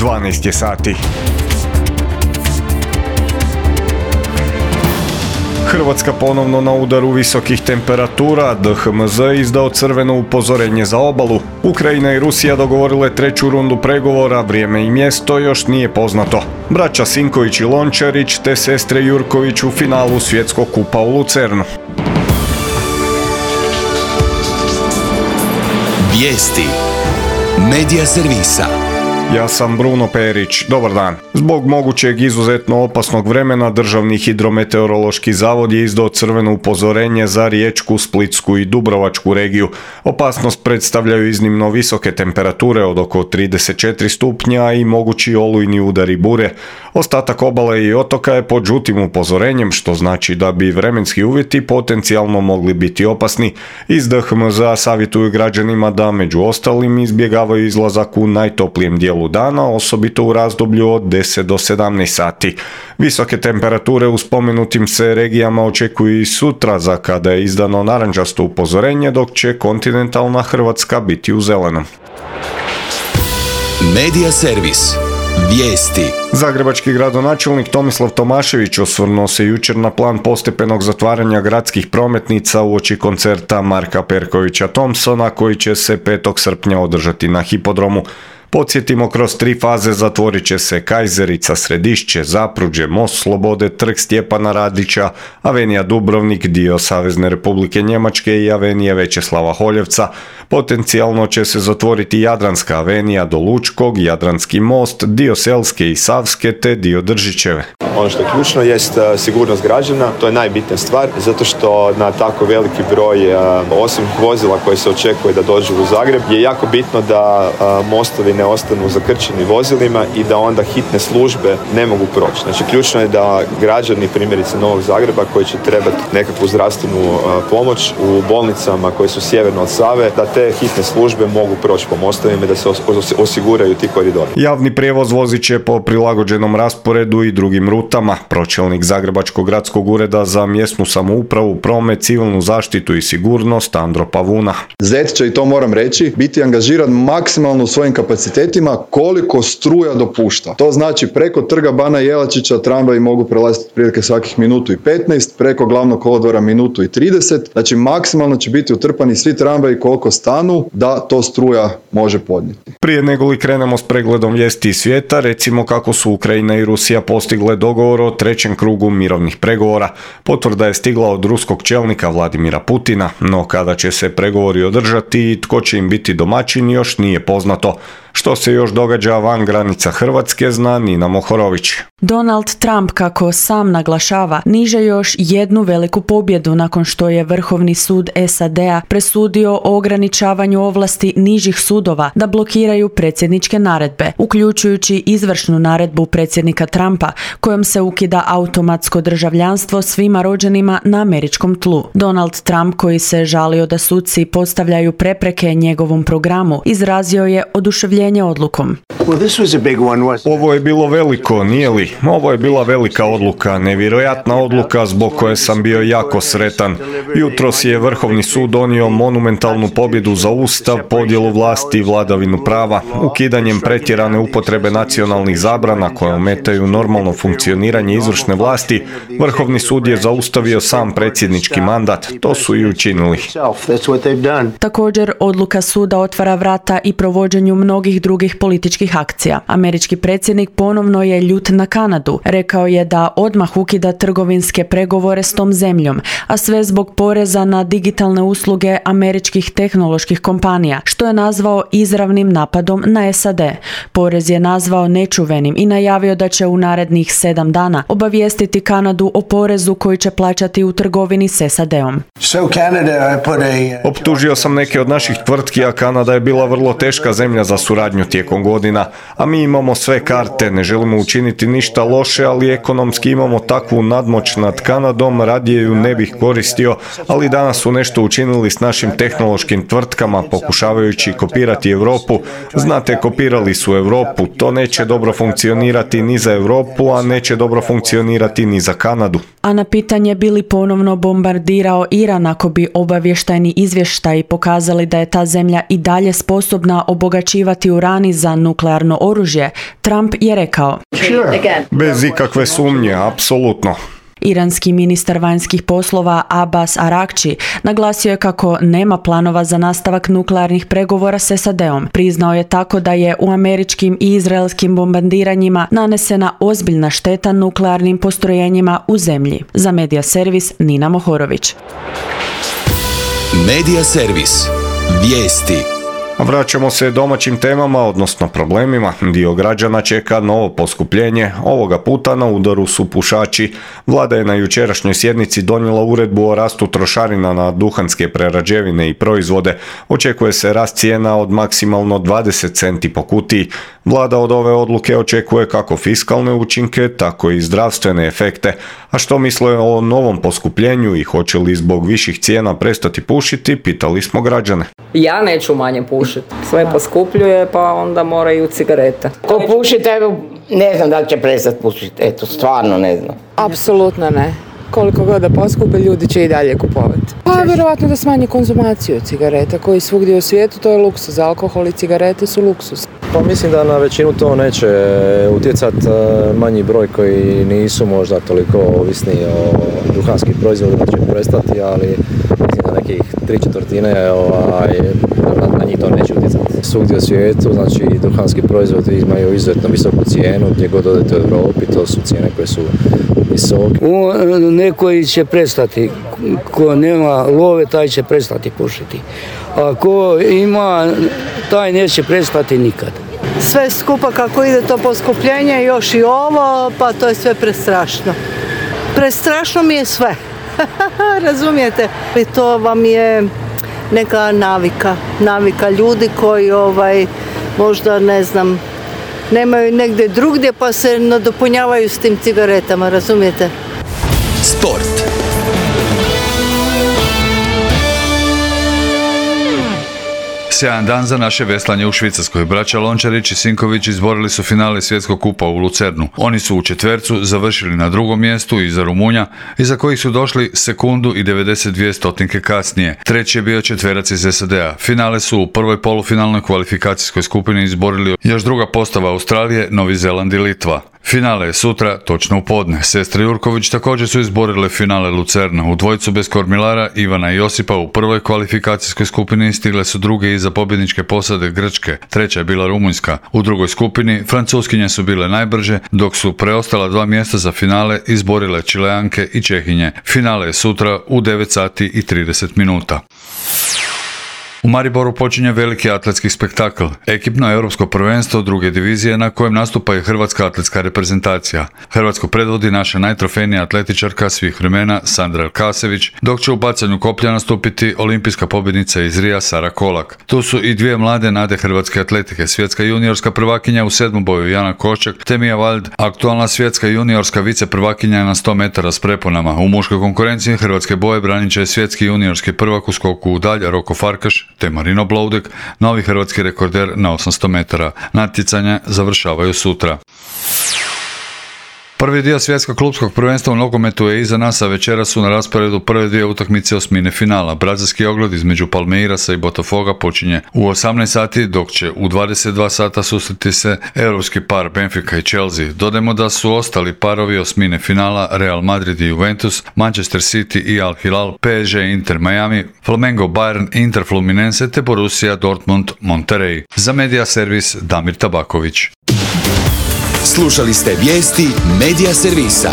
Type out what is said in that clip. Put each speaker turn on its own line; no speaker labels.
12 je sati. Hrvatska ponovno na udaru visokih temperatura, DHMZ izdao crveno upozorenje za obalu. Ukrajina i Rusija dogovorile treću rundu pregovora, vrijeme i mjesto još nije poznato. Braća Sinković i Lončarić te sestre Jurković u finalu svjetskog kupa u Lucernu.
Vijesti Medija servisa.
Ja sam Bruno Perić, dobar dan. Zbog mogućeg izuzetno opasnog vremena Državni hidrometeorološki zavod je izdao crveno upozorenje za Riječku, Splitsku i Dubrovačku regiju. Opasnost predstavljaju iznimno visoke temperature od oko 34 stupnja i mogući olujni udari bure. Ostatak obale i otoka je pod žutim upozorenjem, što znači da bi vremenski uvjeti potencijalno mogli biti opasni. Iz DHMZ-a savjetuju građanima da među ostalim izbjegavaju izlazak u najtoplijem dijelu dana, osobito u razdoblju od 10 do 17 sati. Visoke temperature u spomenutim se regijama očekuju i sutra, za kada je izdano narančasto upozorenje, dok će kontinentalna Hrvatska biti u zelenom.
Medija servis. Vijesti.
Zagrebački gradonačelnik Tomislav Tomašević osvrnuo se jučer na plan postepenog zatvaranja gradskih prometnica uoči koncerta Marka Perkovića Thompsona koji će se 5. srpnja održati na hipodromu. Podsjetimo, kroz 3 faze zatvorit će se Kajzerica, Središće, Zapruđe, Most Slobode, Trg Stjepana Radića, Avenija Dubrovnik, dio Savezne Republike Njemačke i Avenije Večeslava Holjevca. Potencijalno će se zatvoriti Jadranska avenija do Lučkog, Jadranski most, dio Selske i Savske te dio Držićeve.
Ono što je ključno jest sigurnost građana, to je najbitnija stvar, zato što na tako veliki broj osobnih vozila koje se očekuje da dođu u Zagreb je jako bitno da mostovi ne ostanu zakrčeni vozilima i da onda hitne službe ne mogu proći. Znači ključno je da građani primjerice Novog Zagreba koji će trebati nekakvu zdravstvenu pomoć u bolnicama koje su sjeverno od Save, da te hitne službe mogu proći po mostovima i da se osiguraju ti koridori.
Javni prijevoz vozit će po prilagođenom rasporedu i drugim rutama. Pročelnik Zagrebačkog gradskog ureda za mjesnu samoupravu, promet, civilnu zaštitu i sigurnost Andro Pavuna.
ZET će, i to moram reći, biti angažiran maksimalno u svojim kapacitetima koliko struja dopušta. To znači preko Trga Bana Jelačića tramvaji mogu prelaziti prilike svakih minutu i 15, preko Glavnog kolodvora minutu i 30, znači maksimalno će biti utrpani svi tramvaji koliko stanu da to struja može podnijeti.
Prije nego li krenemo s pregledom vijesti iz svijeta, recimo kako su Ukrajina i Rusija postigle dogovor o trećem krugu mirovnih pregovora. Potvrda je stigla od ruskog čelnika Vladimira Putina, no kada će se pregovori održati i tko će im biti domaćin još nije poznato. Što se još događa van granica Hrvatske zna Nina Mohorović.
Donald Trump, kako sam naglašava, niže još jednu veliku pobjedu nakon što je Vrhovni sud SAD-a presudio o ograničavanju ovlasti nižih sudova da blokiraju predsjedničke naredbe, uključujući izvršnu naredbu predsjednika Trumpa kojom se ukida automatsko državljanstvo svima rođenima na američkom tlu. Donald Trump, koji se žalio da suci postavljaju prepreke njegovom programu, izrazio je oduševljenje odlukom.
Ovo je bilo veliko, nije li? Ovo je bila velika odluka, nevjerojatna odluka zbog koje sam bio jako sretan. Jutros je Vrhovni sud donio monumentalnu pobjedu za Ustav, podjelu vlasti i vladavinu prava, ukidanjem pretjerane upotrebe nacionalnih zabrana koje ometaju normalno funkcioniranje izvršne vlasti. Vrhovni sud je zaustavio sam predsjednički mandat, to su i učinili.
Također, odluka suda otvara vrata i provođenju mnogih drugih političkih akcija. Američki predsjednik ponovno je ljut na Kanadu. Rekao je da odmah ukida trgovinske pregovore s tom zemljom, a sve zbog poreza na digitalne usluge američkih tehnoloških kompanija, što je nazvao izravnim napadom na SAD. Porez je nazvao nečuvenim i najavio da će u narednih 7 dana obavijestiti Kanadu o porezu koji će plaćati u trgovini s SAD-om.
Optužio sam neke od naših tvrtki, a Kanada je bila vrlo teška zemlja za suradnju tijekom godina, a mi imamo sve karte, ne želimo učiniti ništa loše, ali ekonomski imamo takvu nadmoć nad Kanadom, radije ju ne bih koristio, ali danas su nešto učinili s našim tehnološkim tvrtkama, pokušavajući kopirati Europu. Znate, kopirali su Europu, to neće dobro funkcionirati ni za Europu, a neće dobro funkcionirati ni za Kanadu.
A na pitanje bi li ponovno bombardirao Iran ako bi obavještajni izvještaji pokazali da je ta zemlja i dalje sposobna obogaćivati urani za nuklearno oružje, Trump je rekao:
Bez ikakve sumnje, apsolutno.
Iranski ministar vanjskih poslova Abbas Arakči naglasio je kako nema planova za nastavak nuklearnih pregovora s SAD-om. Priznao je tako da je u američkim i izraelskim bombardiranjima nanesena ozbiljna šteta nuklearnim postrojenjima u zemlji. Za Medija servis Nina Mohorović.
Medija servis. Vijesti.
Vraćamo se domaćim temama, odnosno problemima. Dio građana čeka novo poskupljenje. Ovoga puta na udaru su pušači. Vlada je na jučerašnjoj sjednici donijela uredbu o rastu trošarina na duhanske prerađevine i proizvode. Očekuje se rast cijena od maksimalno 20 centi po kutiji. Vlada od ove odluke očekuje kako fiskalne učinke, tako i zdravstvene efekte. A što misle o novom poskupljenju i hoće li zbog viših cijena prestati pušiti, pitali smo građane.
Ja neću manje pušiti. Sve poskupljuje, pa onda moraju cigarete.
Ko puši, ne znam da li će prestati pušiti. Eto, stvarno ne znam.
Apsolutno ne. Koliko god da poskupe, ljudi će i dalje kupovati. Pa vjerovatno da smanji konzumaciju cigareta koji svugdje u svijetu, to je luksuz. Alkohol i cigarete su luksuz.
Pa mislim da na većinu to neće utjecati, manji broj koji nisu možda toliko ovisni o duhanskim proizvodima će prestati, ali mislim da nekih 3/4 na njih to neće utjecati. Svugdje u svijetu, znači duhanski proizvodi imaju izuzetno visoku cijenu, gdje god odete u Europi, to su cijene koje su visoke.
Neko će prestati, ko nema love, taj će prestati pušiti. A ko ima, taj neće prestati nikad.
Sve skupa kako ide to poskupljenje, još i ovo, pa to je sve prestrašno. Prestrašno mi je sve. Razumijete? I to vam je neka navika ljudi koji možda ne znam, nemaju negdje drugdje pa se nadopunjavaju s tim cigaretama, razumijete?
Sport.
Sjajan dan za naše veslanje u Švicarskoj. Braća Lončarić i Sinković izborili su finale svjetskog kupa u Lucernu. Oni su u četvercu završili na drugom mjestu iza Rumunja, iza kojih su došli sekundu i 92 stotinke kasnije. Treći je bio četverac iz SAD-a. Finale su u prvoj polufinalnoj kvalifikacijskoj skupini izborili još druga postava Australije, Novi Zeland i Litva. Finale je sutra, točno u podne. Sestre Jurković također su izborile finale Lucerna. U dvojicu bez kormilara Ivana i Josipa u prvoj kvalifikacijskoj skupini stigle su druge iza pobjedničke posade Grčke. Treća je bila Rumunjska. U drugoj skupini Francuskinje su bile najbrže, dok su preostala 2 mjesta za finale izborile Čileanke i Čehinje. Finale je sutra u 9 sati i 30 minuta. U Mariboru počinje veliki atletski spektakl, ekipno europsko prvenstvo druge divizije na kojem nastupa i hrvatska atletska reprezentacija. Hrvatsko predvodi naša najtrofejnija atletičarka svih vremena Sandra Elkasević, dok će u bacanju koplja nastupiti olimpijska pobjednica iz Rija Sara Kolak. Tu su i dvije mlade nade hrvatske atletike, svjetska juniorska prvakinja u 7. boju Jana Koščak te Mia Wald, aktualna svjetska juniorska viceprvakinja na 100 metara s preponama. U muškoj konkurenciji hrvatske boje branit će svjetski juniorski prvak u skoku u dalj Roko Farkaš te Marino Bloudek, novi hrvatski rekorder na 800 metara. Natjecanja završavaju sutra. Prvi dio svjetskog klupskog prvenstva u nogometu je iza nas, a večera su na rasporedu prve dvije utakmice osmine finala. Brazilski ogled između Palmeirasa i Botafoga počinje u 18 sati, dok će u 22 sata susreti se europski par Benfica i Chelsea. Dodajmo da su ostali parovi osmine finala Real Madrid i Juventus, Manchester City i Al Hilal, PSG Inter Miami, Flamengo Bayern, Inter Fluminense te Borussia Dortmund Monterrey. Za Medija servis Damir Tabaković.
Slušali ste vijesti Medija servisa.